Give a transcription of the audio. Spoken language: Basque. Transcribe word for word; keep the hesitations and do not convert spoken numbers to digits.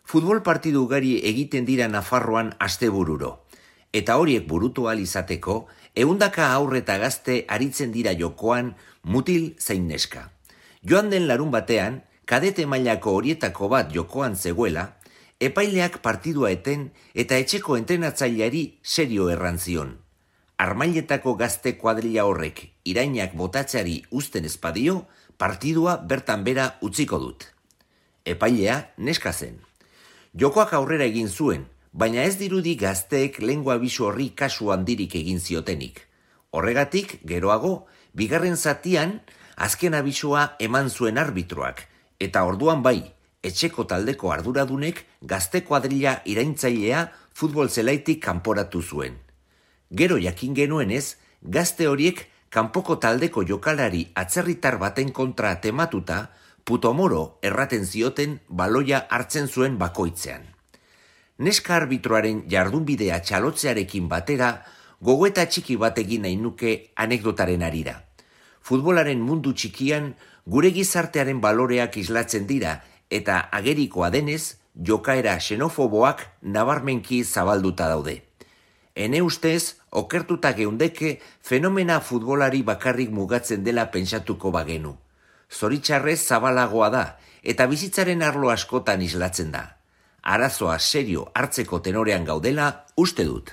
Futbol partidu ugari egiten dira Nafarroan astebururo, eta horiek burutu ahal izateko, ehundaka aurre eta gazte aritzen dira jokoan mutil zein neska. Joan den larun batean, kadete mailako horietako bat jokoan zegoela, epaileak partidua eten eta etxeko entrenatzaileari serio errantzion. Armailetako gazte kuadrilla horrek irainak botatzeari uzten espadio, partidua bertan bera utziko dut. Epailea neska zen. Jokoak aurrera egin zuen, baina ez dirudi gazteek lengua abisu horri kasu handirik egin ziotenik. Horregatik, geroago, bigarren zatian, azken abisua eman zuen arbitroak, eta orduan bai, etxeko taldeko arduradunek gazte kuadrilla iraintzailea futbol zelaitik kanporatu zuen. Gero jakin genuenez, gazte horiek kanpoko taldeko jokalari atzerritar baten kontra tematuta, putomoro erraten zioten baloia hartzen zuen bakoitzean. Neska arbitroaren jardunbidea txalotzearekin batera, gogoeta txiki bat egin nahi nuke anekdotaren arira. Futbolaren mundu txikian, gure gizartearen baloreak islatzen dira, eta agerikoa denez, jokaera xenofoboak nabarmenki zabalduta daude. Ene ustez, okertuta geundeke fenomena futbolari bakarrik mugatzen dela pentsatuko bagenu. Zoritxarrez zabalagoa da, eta bizitzaren arlo askotan islatzen da. Arazoa serio hartzeko tenorean gaudela uste dut.